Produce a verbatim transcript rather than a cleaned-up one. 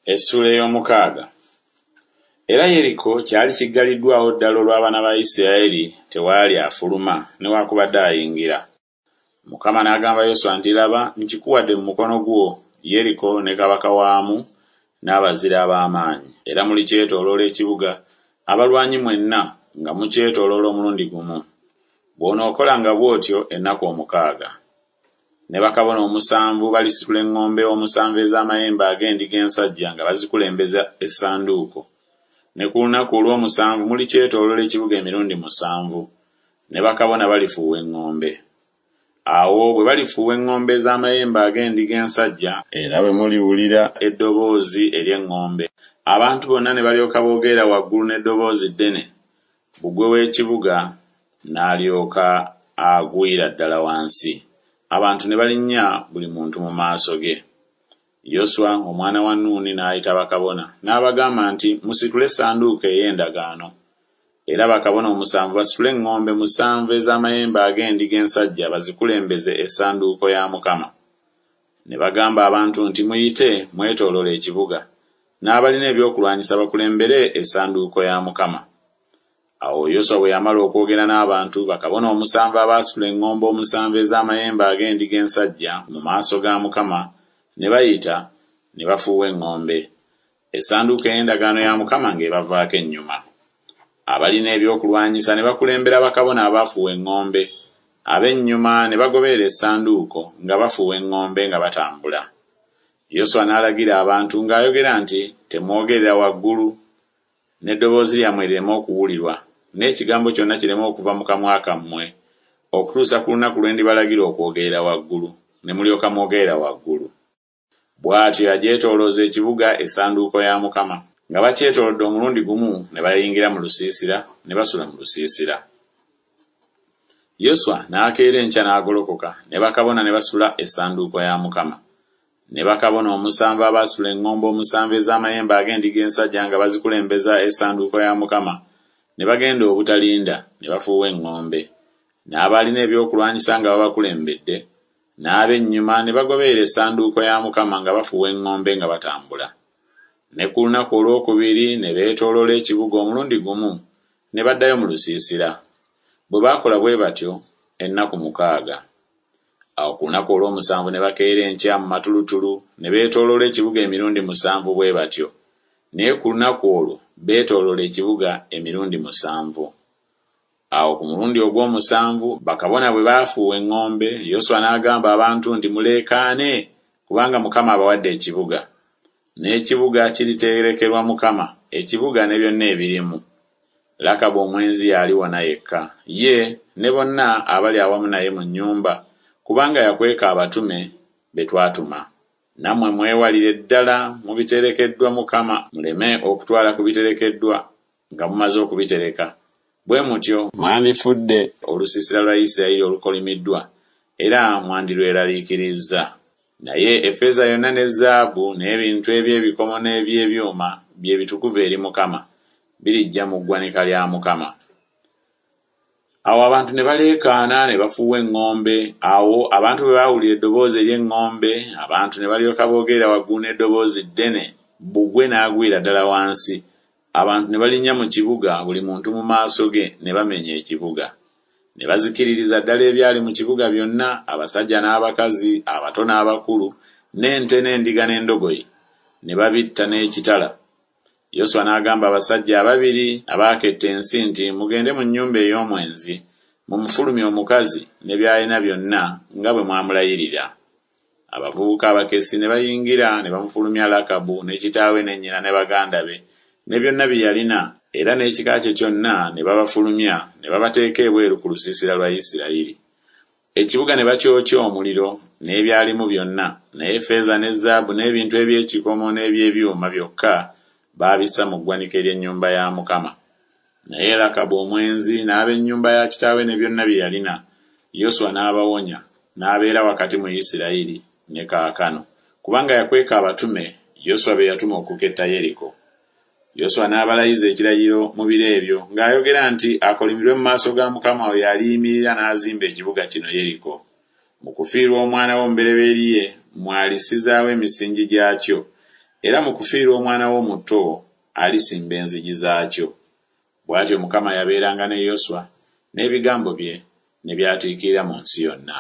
Essuula ey'omukaaga. Era Yeriko kyali kiggaliddwawo ddala olw'abaana ba Isirayiri, tewaali afuluma newaakubadde ayingira. Mukama n'agamba Yoswa nti, Laba, nkikuwadde mu mukono gwo, Yeriko ne kabaka waamu n'abazira ab'amaanyi. Era mulikyetooloola ekibuga, abalwanyi mwenna nga mukyetooloola omulundi gumu. Bw'onookolanga bw'otyo ennaku omukaaga. Ne bakabona omusanvu balisitula eŋŋombe omusanvu ez'amayembe ag'endiga ensajja nga bazikulembeza essanduuko. Ne ku lunaku olw'omusanvu mulikyetooloola ekibuga emirundi musanvu, ne bakabona balifuuwa eŋŋombe. Awo bwe balifuuwa eŋŋombe ez'amayembe ag'endiga ensajja, era bwe muliwulira eddoboozi ery'eŋŋombe, abantu bonna ne balyoka boogerera waggulu n'eddoboozi ddene, bbugwe w'ekibuga n'alyoka agwira ddala wansi. Abantu ne balinnya buli muntu mu maaso ge. Yoswa omwana wa Nuuni n'ayita bakabona, n'abagamba nti, Musitule essanduuko ey'endagaano. Era bakabona omusanvu basitule eŋŋombe musanvu ez'amayembe ag'endiga ensajja bazikulembeze essanduuko ya Mukama. Ne bagamba abantu nti, Muyite mwetooloole ekibuga, n'abalina ebyokulwanyisa bakulembere essanduuko ya Mukama. Awo Yoswa bwe yamala okwogera n'abantu, bakabona omusanvu abaasitula eŋŋombe omusanvu ez'amayembe ag'endiga ensajja mu maaso ga Mukama ne bayita ne bafuuwa eŋŋombe. Essanduuko ey'endagaano ya Mukama ng'ebavaako ennyuma. Abalina ebyokulwanyisa ne bakulembera bakabona abaafuuwa eŋŋombe, ab'ennyuma ne bagoberera essanduuko nga bafuuwa eŋŋombe nga batambula. Yoswa n'alagira abantu ng'ayogera nti, Temwogerera waggulu, n'eddoboozi lyammwe lireme okuwulirwa, n'ekigambo kyonna kireme okuva mu kamwa kammwe, okutuusa ku lunaku lwe ndibalagira okwogerera waggulu, ne mulyoka mwogerera waggulu. Bw'atyo yagyetoolooza ekibuga essanduuko ya Mukama. Nga bakyetoolodde omulundi gumu ne bayingira mu lusiisira, ne basula mu lusiisira. Yoswa n'akeera enkya n'agolokoka, ne bakabona ne basula essanduuko ya Mukama. Ne bakabona omusanvu abaasitula eŋŋombe omusanvu ez'amayembe ag'endiga ensajja nga bazikulembeza essanduuko ya Mukama, ne bagenda obutalinda, ne bafuuwa eŋŋombe. N'abaalina ebyokulwanyisa nga babakulembedde, n'ab'ennyuma ne bagoberera essanduuko ya Mukama nga bafuuwa eŋŋombe nga batambula. Ne ku lunaku olwokubiri ne beetooloola ekibuga omulundi gumu, ne baddayo mu lusiisira. Bwe baakola bwe batyo ennaku mukaaga. Awo ku lunaku olw'omusanvu ne bakeera enkya mu matulutulu, ne beetooloola ekibuga emirundi musanvu bwe batyo. Naye ku lunaku olwo beetooloola ekibuga emirundi musanvu. Awo ku mulundi ogw'omusanvu bakabona bwe baafuuwa eŋŋombe, Yoswa n'agamba abantu nti, Muleekaane, kubanga Mukama abawadde ekibuga. N'ekibuga kiriterekerwa Mukama, ekibuga ne byonna ebirimu. Lakabu omwenzi y'aliwona yekka, ye ne bonna abali awamu naye mu nnyumba, kubanga yakweka abatume be twatuma. Nammwe mwewalire ddala mu biterekeddwa Mukama, muleme okutwala ku biterekeddwa nga mumaze okubitereka. Bwe mutyo mwandifudde olusiisira lwa Isirayiri olukolimiddwa, era mwandirweraliikirizza. Naye effeeza yonna ne zaabu n'ebintu eby'ebikomo n'eby'ebyuma bye bitukuvu eri Mukama, birijja mu ggwanika lya Mukama. Awo abantu ne baleekaana ne bafuuwa eŋŋombe. Awo abantu bwe baawulira eddoboozi ery'eŋŋombe, abantu ne balyoka boogerera waggulu n'eddoboozi ddene, bbugwe n'agwira ddala wansi. Abantu ne balinnya mu kibuga buli muntu mu maaso ge, ne bamenya ekibuga. Ne bazikiririza ddala ebyali mu kibuga byonna, abasajja n'abakazi, abato n'abakulu, n'ente n'endiga n'endogoyi, ne babitta n'ekitala. Yoswa n'agamba abasajja ababiri abaaketta ensi nti, Mugende mu nnyumba ey'omwenzi, mumufulumye omukazi ne by'alina byonna nga bwe mwamulayirira. Abavubuka abakessi ne bayingira ne bamufulumya Lakabu ne kitaawe ne nnyina ne baganda be ne byonna bye yalina, era n'ekika kye kyonna ne babafulumya ne babateeka ebweru ku lusiisira lwa Isirayiri. Ekibuga ne bakyokya omuliro n'ebyalimu byonna, naye ffeeza ne zaabu n'ebintu eby'ekikomo n'eby'ebyuma byokka baabissa mu ggwanika ery'ennyumba ya Mukama. Naye Lakabu omwenzi n'ab'ennyumba ya kitaawe ne byonna bye yalina, Yoswa n'abawonya, n'abeera wakati mu Isirayiri ne kaakano, kubanga yakweka abatume Yoswa be yatuma okuketta Yeriko. Yoswa n'abalayiza ekirayiro mu biro ebyo ng'ayogera nti, Akolimirwe mu maaso ga Mukama oyo aliyimirira n'azimba ekibuga kino Yeriko. Mu kufiirwa omwana we omubereberye mw'alissizaawo emisingi gyakyo, Era mu kufiirwa omwana we omuto alisimba enzigi zaakyo. Bw'atyo Mukama yabeeranga ne Yoswa, n'ebigambo bye ne byatiikirira mu nsi yonna.